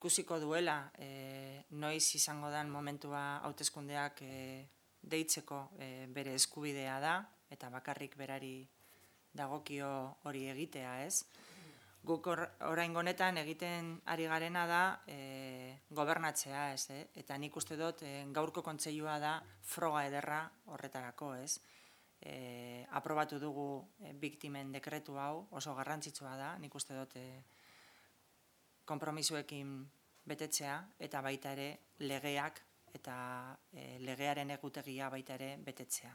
ikusiko duela noiz izango den momentua hauteskundeak deitzeko bere eskubidea da, eta bakarrik berari dagokio hori egitea, ez? Guk oraingo honetan egiten ari garena da gobernatzea, ez? Eta nik uste dut gaurko kontseilua da froga ederra horretarako, ez? Aprobatu dugu biktimen dekretu hau, oso garrantzitsua da, nik uste dut konpromisoekin betetzea, eta baita ere legeak eta legearen egutegia baita ere betetzea.